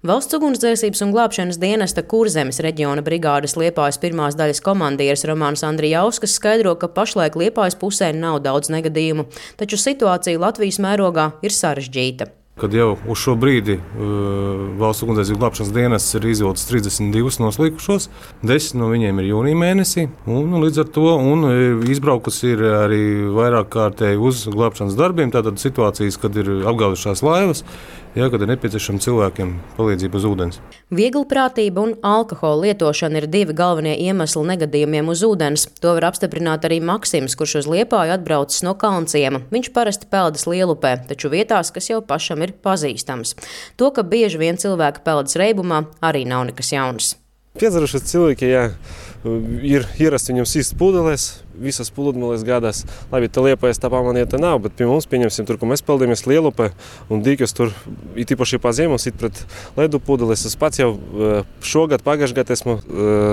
Valsts ugunsdzēsības un glābšanas dienesta Kurzemes reģiona brigādes Liepājas pirmās daļas komandieris Romāns Andrijauskas skaidro, ka pašlaik Liepājas pusē nav daudz negadījumu, taču situācija Latvijas mērogā ir sarežģīta. Kad jau uz šo brīdi Valsts ugunsdzēsības glābšanas dienests ir izvilcis 32 noslīkušos, 10 no viņiem ir jūnija mēnesī, un līdz ar to izbraukusi ir arī vairāk kārtēji uz glābšanas darbiem, tātad situācijas, kad ir apgāzušās laivas, kad ir nepieciešama cilvēkiem palīdzība uz ūdens. Vieglprātība un alkohola lietošana ir divi galvenie iemesli negadījumiem uz ūdens. To var apstiprināt arī Maksims, kurš uz Liepāju atbraucis no Kalnciema. Viņš parasti peldas Lielupē, taču vietās, kas jau pašam ir pazīstams. To, ka bieži vien cilvēki peldas Reibumā, arī nav nekas jauns. Piedzirušies cilvēki, ir ierasts viņam sīst pudelēs, visas pludmales gadās. Labi, tā Liepājas tā pamanieta nav, bet pie mums, pieņemsim, tur, kur mēs peldāmies Lielupē, un dīkas tur, it īpaši pa ziemos, it pret ledu pudeles. Es pats jau šogad, pagājušajā gadā esmu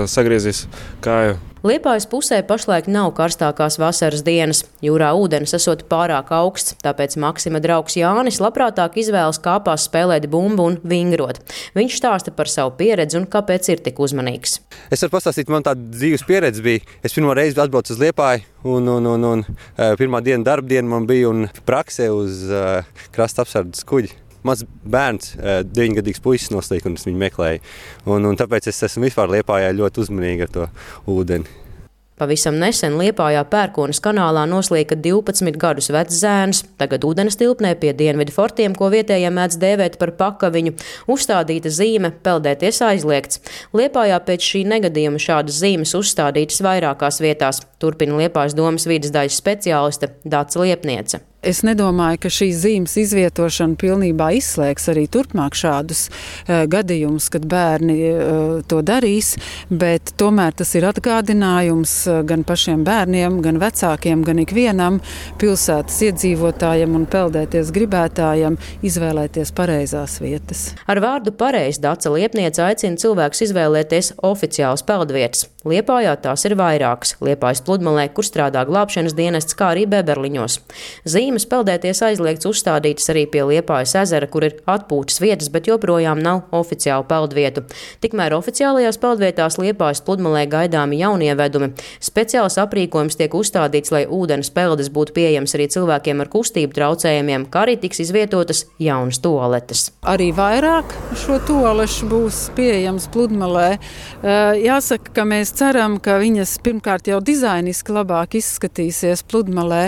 sagriezis kāju. Liepājas pusē pašlaik nav karstākās vasaras dienas. Jūrā ūdens esot pārāk augsts, tāpēc Maksima draugs Jānis labprātāk izvēlas kāpās spēlēt bumbu un vingrot. Viņš stāsta par savu pieredzi un kāpēc ir tik uzmanīgs. Es varu pastāstīt, man tāda dzīves pieredze bija. Es pirmo reizi atbraucu uz Liepāju un pirmā diena darba diena man bija un praksē uz krasta apsardzes kuģi. Mans bērns, 9-gadīgs puisis noslīka un es viņu meklēju. Un tāpēc es esmu vispār Liepājā ļoti uzmanīgi ar to ūdeni. Pavisam nesen Liepājā Pērkonas kanālā noslīka 12 gadus vecs zēns. Tagad ūdens tilpnē pie dienvidu fortiem, ko vietējie mēdz dēvēt par pakaviņu, uzstādīta zīme peldēties aizliegts. Liepājā pēc šī negadījuma šādas zīmes uzstādītas vairākās vietās, turpina Liepājas domas vides daļas speciāliste Dace Liepniece. Es nedomāju, ka šīs zīmes izvietošana pilnībā izslēgs arī turpmāk šādus gadījumus, kad bērni to darīs, bet tomēr tas ir atgādinājums gan pašiem bērniem, gan vecākiem, gan ikvienam pilsētas iedzīvotājiem un peldēties gribētājiem izvēlēties pareizās vietas. Ar vārdu pareizi Dace Liepniece aicina cilvēkus izvēlēties oficiālas peldvietas. Liepājā tās ir vairākas. Liepājas pludmalē, kur strādā glābšanas dienests, kā arī Beberliņos. Zīmes peldēties aizliegts uzstādītas arī pie Liepājas ezera, kur ir atpūtas vietas, bet joprojām nav oficiālu peldvietu. Tikmēr oficiālajās peldvietās Liepājas pludmalē gaidāmi jaunievedumi. Speciāls aprīkojums tiek uzstādīts, lai ūdens peldes būtu pieejams arī cilvēkiem ar kustību traucējumiem, kā arī tiks izvietotas jaunas tualetes. Arī vairāk šo tualešu būs pieejams pludmalē. Jāsaka, ka mēs ceram, ka viņas pirmkārt jau dizainiski labāk izskatīsies pludmalē,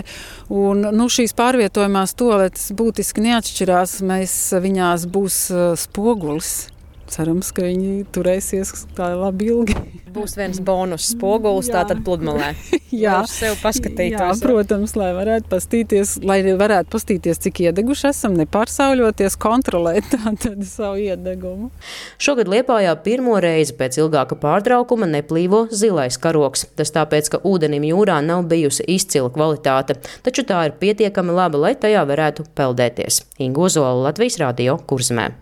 un šīs pārvietojumās tualetes būtiski neatšķirās, viņās būs spogulis. Cerams, ka viņi turēsies tā labi ilgi. Būs viens bonus spogulis, tātad pludmalē. Jā, uz sevi paskatītos. Jā, protams, lai varētu pastīties, cik iedeguši esam, nepārsauļoties, kontrolēt tātad savu iedegumu. Šogad Liepājā pirmo reizi pēc ilgāka pārtraukuma neplīvo zilais karoks. Tas tāpēc, ka ūdenim jūrā nav bijusi izcila kvalitāte, taču tā ir pietiekami laba, lai tajā varētu peldēties. Inga Ozola, Latvijas radio, Kurzemē.